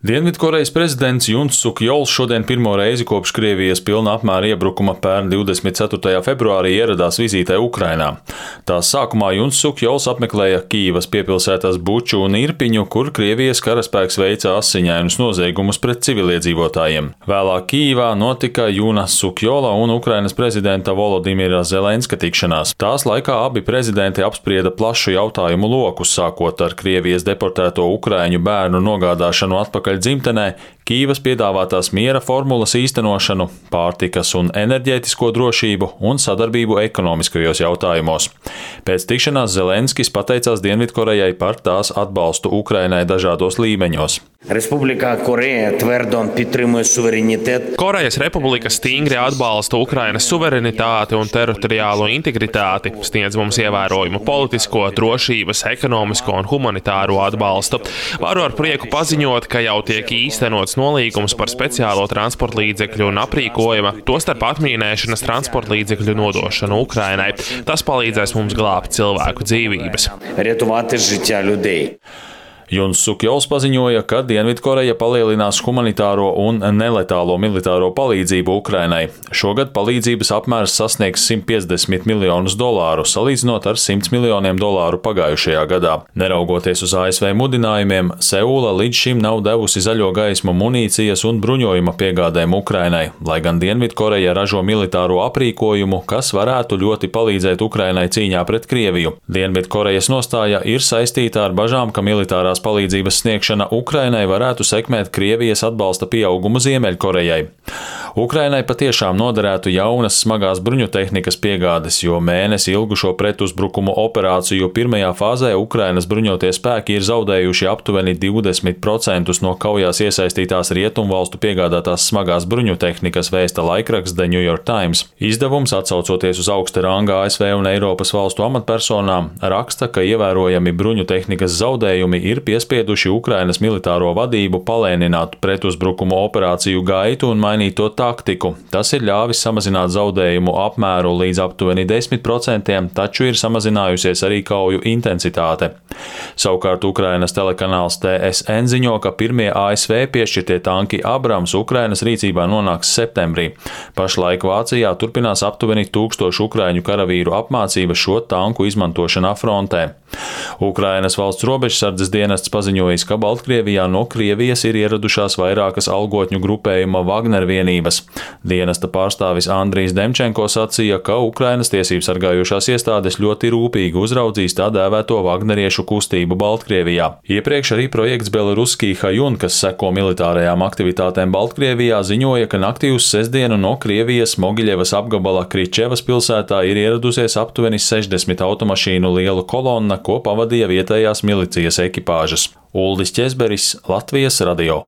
Dienvidkorejas prezidents Juns Suk Jols šodien pirmo reizi kopš Krievijas pilna apmēra iebrukuma pērn 24. februārī ieradās vizītē Ukrainā. Tās sākumā Juns Suk Jols apmeklēja Kīivas piepilsētās Buču un Irpiņu, kur Krievijas karaspēks veica asiņainus noziegumus pret civiliedzīvotājiem. Vēlāk Kīivā notika Juna Suk Jola un Ukrainas prezidenta Volodimira Zelenska tikšanās. Tās laikā abi prezidenti apsprieda plašu jautājumu loku, sākot ar Krievijas deportēto ukraiņu bērnu nogādāšanu atpakaļ dzimtenē, Kīivas piedāvātās miera formulas īstenošanu, pārtikas un enerģētisko drošību un sadarbību ekonomiskajos jautājumos. Pēc tikšanās Zelenskis pateicās Dienvidkorejai par tās atbalstu Ukrainai dažādos līmeņos. Korejas Republika stingri atbalsta Ukrainas suverenitāti un teritoriālo integritāti, sniedz mums ievērojumu politisko, drošības, ekonomisko un humanitāro atbalstu. Varu ar prieku paziņot, ka jau tiek īstenots nolīgums par speciālo transportlīdzekļu un aprīkojuma, tostarp atmīnēšanas transportlīdzekļu nodošanu Ukrainai. Tas palīdzēs mums glābt cilvēku dzīvības. Juns Suk Jols paziņoja, ka Dienvidkoreja palielinās humanitāro un neletālo militāro palīdzību Ukrainai. Šogad palīdzības apmērs sasniegs $150 miljonus, salīdzinot ar $100 miljoniem pagājušajā gadā. Neraugoties uz ASV mudinājumiem, Seula līdz šim nav devusi zaļo gaismu munīcijas un bruņojuma piegādēm Ukrainai, lai gan Dienvidkoreja ražo militāro aprīkojumu, kas varētu ļoti palīdzēt Ukrainai cīņā pret Krieviju. Dienvidkorejas nostāja ir saistīta ar bažām, ka militārās palīdzības sniegšana Ukrainai varētu sekmēt Krievijas atbalsta pieaugumu Ziemeļkorejai. Ukrainai patiešām noderētu jaunas smagās bruņutehnikas piegādes, jo mēnesi ilgušo pretuzbrukumu operāciju pirmajā fāzē Ukrainas bruņotie spēki ir zaudējuši aptuveni 20% no kaujās iesaistītās rietumvalstu piegādātās smagās bruņutehnikas, vēsta laikraksts The New York Times. Izdevums, atsaucoties uz augsta ranga ASV un Eiropas valstu amatpersonām, raksta, ka ievērojami bruņutehnikas zaudējumi ir piespieduši Ukrainas militāro vadību palēnināt pretuzbrukumu operāciju gaitu un mainīt to taktiku. Tas ir ļāvis samazināt zaudējumu apmēru līdz aptuveni 10%, taču ir samazinājusies arī kauju intensitāte. Savukārt Ukrainas telekanāls TSN ziņo, ka pirmie ASV piešķirtie tanki Abrams Ukrainas rīcībā nonāks septembrī. Pašlaik Vācijā turpinās aptuveni 1000 ukraiņu karavīru apmācība šo tanku izmantošanā frontē. Ukrainas valsts robežsardzes dienests paziņojis, ka Baltkrievijā no Krievijas ir ieradušās vairākas algotņu grupējuma Wagner vienības. Dienesta pārstāvis Andrijs Demčenko sacīja, ka Ukrainas tiesību sargājošās iestādes ļoti rūpīgi uzraudzīs tā dēvēto Wagneriešu kustību Baltkrievijā. Iepriekš arī projekts Beloruskij Hajun, kas seko militārajām aktivitātēm Baltkrievijā, ziņoja, ka naktī uz sestdienu no Krievijas Mogiļevas apgabala Kričevas pilsētā ir ieradusies aptuveni 60 automašīnu liela kolonna, ko pavadīja vietējās milicijas ekipāžas. Uldis Ķezberis, Latvijas radio.